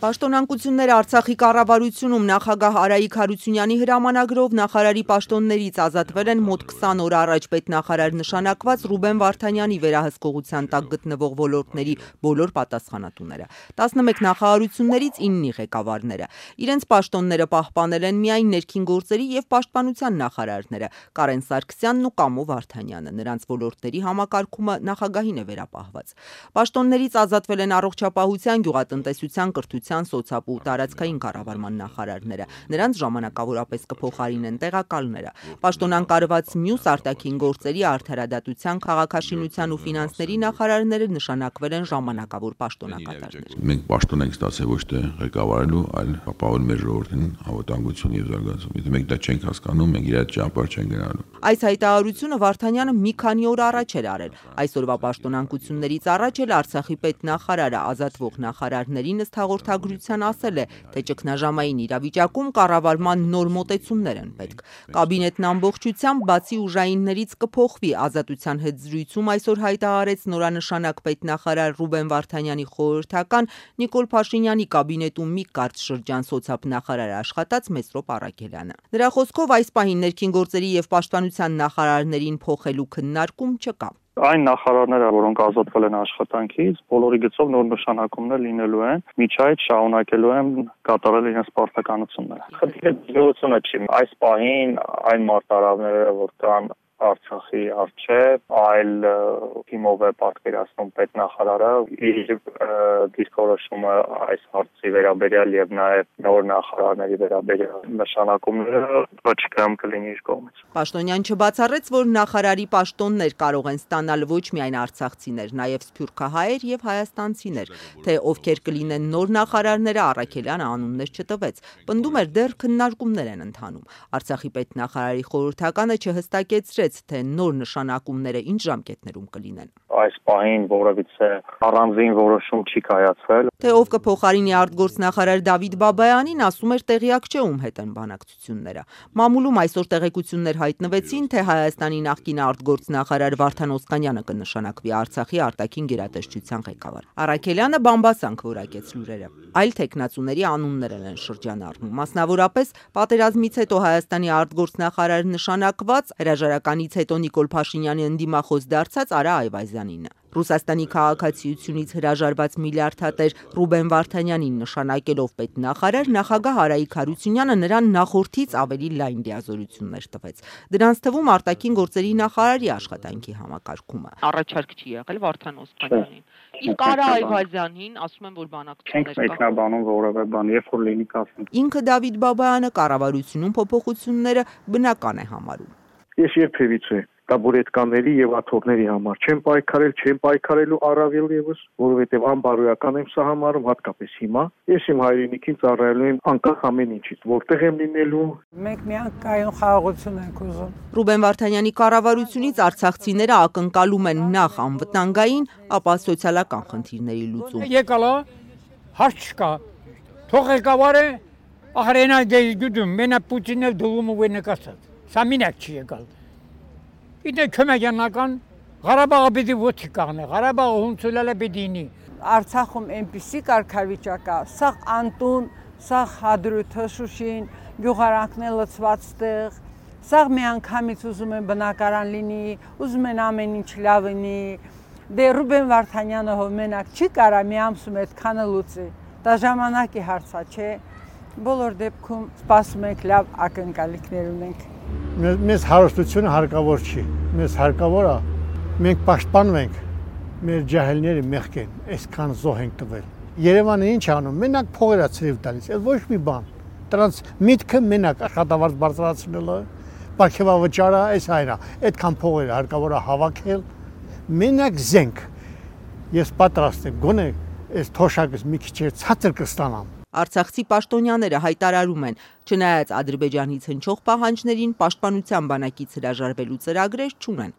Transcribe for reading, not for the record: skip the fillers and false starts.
Պաշտոնանկությունները Արցախի կառավարությունում նախագահ Արայիկ Հարությունյանի հրամանագրով նախարարի պաշտոններից ազատվել են մոտ 20 օր առաջ պետնախարար նշանակված Ռուբեն Վարդանյանի վերահսկողության տակ գտնվող ոլորտների բոլոր պատասխանատուները։ 11 նախարարություններից 9-ի ղեկավարները։ Իրենց պաշտոնները պահպանել են միայն ներքին գործերի և պաշտպանության նախարարները Կարեն Սարգսյանն ու Կամո Վարդանյանը։ Նրանց ոլորտների համակարգումը նախագահին է վերապահված։ Պաշտոններից ազատվել են առողջապահության, գյուղատնտեսության, կրթության, սոցապ ու տարածքային կառավարման նախարարները։ Նրանց ժամանակավորապես կփոխարինեն տեղակալները։ Պաշտոնանկարված մյուս արտաքին գործերի, արդարադատության, քաղաքաշինության ու ֆինանսների նախարարները նշանակվել են ժամանակավոր պաշտոնակատարներ։ Մենք պաշտոն ենք ստացել ոչ թե ղեկավարելու, այլ ապահովել մեր ժողովրդին անվտանգություն և զարգացում։ Եթե մենք դա չենք հասկանում, մենք իր ճանապարհ չենք գնալու։ Այս հայտարարությունը Վարդանյանը մի քանի օր առաջ էր արել։ Այսօրվա պաշտոնանկություններից առաջ էլ Արցախի պետնախարարը ազատվող նախարարներին ըստ հաղորդագրության ասել է, թե ճգնաժամային իրավիճակում կառավարման նոր մոտեցումներ են պետք։ Կաբինետն ամբողջությամբ բացի ուժայիններից կփոխվի։ Ազատության հետ զրույցում այսօր հայտարարեց նորանշանակ պետնախարար Ռուբեն Վարդանյանի խորհրդական Նիկոլ Փաշինյանի կաբինետում մի կարճ շրջան սոցապ նախարար աշխատած Մեսրոպ Առաքելյանը։ Նրա խոսքով այս պահին ներքին գործերի և պաշտպանության նախարարներին փոխելու քննարկում չկա։ Այն նախարարները, որոնք ազատվել են աշխատանքից, բոլորի գծով նոր նշանակումներ լինելու են, միջայց շարունակելու են կատարել իրենց պարտականությունները։ Խնդիրը դժգոհությունը չի։ Այս պահին այն մարտահրավերները, որ կան Արցախի առջև, այլ թիմով է պատկերացնում պետնախարարը իր դիրքորոշումը այս հարցի վերաբերյալ եւ նաեւ նոր նախարարների վերաբերյալ նշանակումները վճռում կլինի իր կողմից։ Պաշտոնյան չբացառեց, որ նախարարի պաշտոններ կարող են ստանալ ոչ միայն արցախցիներ, նաեւ սփյուռքահայեր եւ հայաստանցիներ, թե ովքեր կլինեն նոր նախարարները Առաքելյանը անուններ չտվեց։ Պնդում էր դեռ քննարկումներ են ընթանում։ Արցախի պետնախարարի խորհրդականը չհստակեցրեց, թե նոր նշանակումները ինչ ժամկետներում կլինեն։ Այս պահին որևիցե առանձին որոշում չի կայացվել։ Թե ով կփոխարինի արտգործնախարար Դավիթ Բաբայանին, ասում էր տեղյակ չէ ում հետ են բանակցությունները։ Մամուլում այսօր տեղեկություններ հայտնվեցին, թե Հայաստանի նախկին արտգործնախարար Վարդան Օսկանյանը կնշանակվի Արցախի արտաքին գերատեսչության ղեկավար։ Առաքելյանը բամբասանք որակեց լուրերը։ Այլ թեկնածուների անուններ են շրջանառվում։ Մասնավորապես պատերազմից հետո Հայաստանի արտգործնախարար նշանակված հրաժարականից հետո Նիկոլ Փաշինյանի ընդդիմախոս դարձած Արա Այվազյանին։ Ռուսաստանի քաղաքացիությունից հրաժարված միլիարդատեր Ռուբեն Վարդանյանին նշանակելով պետնախարար, նախագահ Արայիկ Հարությունյանը նրան նախորդից ավելի լայն դիազորություններ տվեց։ Դրանց թվում արտաքին գործերի նախարարի աշխատանքի համակարգումը։ Առաջարկ չի եղել Վարդան Օսկանյանին։ Իսկ Արա Այվազյանին ասում են, որ բանակցություններ կա։ Մեկնաբանում որևէ բան, երբ որ լինի կասենք։ Ինքը Դավիթ Բաբայանը կառավարությունում փոփոխությունները բնական է համարում։ Ես երբևիցե տաբուրետկաների եւ աթոռների համար չեմ պայքարելու առավել եւս, որովհետեւ անբարոյական եմ սա համարում, հատկապես հիմա։ Ես իմ հայրենիքին ծառայելու եմ անկախ ամեն ինչից, որտեղ եմ լինելու։ Մենք միանգամայն խաղաղություն ենք ուզում։ Ռուբեն Վարդանյանի կառավարությունից արցախցիները ակնկալում են նախ անվտանգային, ապա սոցիալական խնդիրների լուծում։ Եկալա հարց չկա։ Թող ղեկավարը ահրենա գյուդում, մենա Պուտինը դուլում ու նկատած։ Սա մինակ չի եկալ։ Իդե քմեյանական Ղարաբաղը պիտի ոչի կաղնե, Ղարաբաղը հունցուլալը պիտի։ Արցախում այնպիսի կարգավիճակ կա, սաղ անտուն, սաղ հադրութը Շուշին, գյուղարանքն լցված տեղ, սաղ միանգամից ուզում են բնակարան լինի, ուզում են ամեն ինչ լավ լինի։ Դե Ռուբեն Վարդանյանը հով մենակ չի կարա մի ամսում այդքանը լուծի։ Դա ժամանակի հարցա չէ։ Բոլոր դեպքում սպասում ենք լավ ակնկալիքներ ունենք։ Մեզ հարստությունը հարկավոր չի, մեզ հարկավոր է, մենք պաշտպանում ենք, մեր ջահելները մեղք են, այսքան զոհ ենք տվել։ Երևանը ինչ անում, մենակ փողերա ցրիվ տալիս, այդ ոչ մի բան։ Դրանց միտքը մենակ աշխատավարձ բարձրացնելը, պարգևավճարը, այս այնա, այդքան փողեր հարկավոր է հավաքել, մենակ զենք։ Ես պատրաստ եմ, գոնե այս թոշակս մի քիչ ցածր կստանամ։ Արցախցի պաշտոնյաները հայտարարում են, չնայած Ադրբեջանից հնչող պահանջներին, պաշտպանության բանակից հրաժարվելու ծրագրեր չունեն։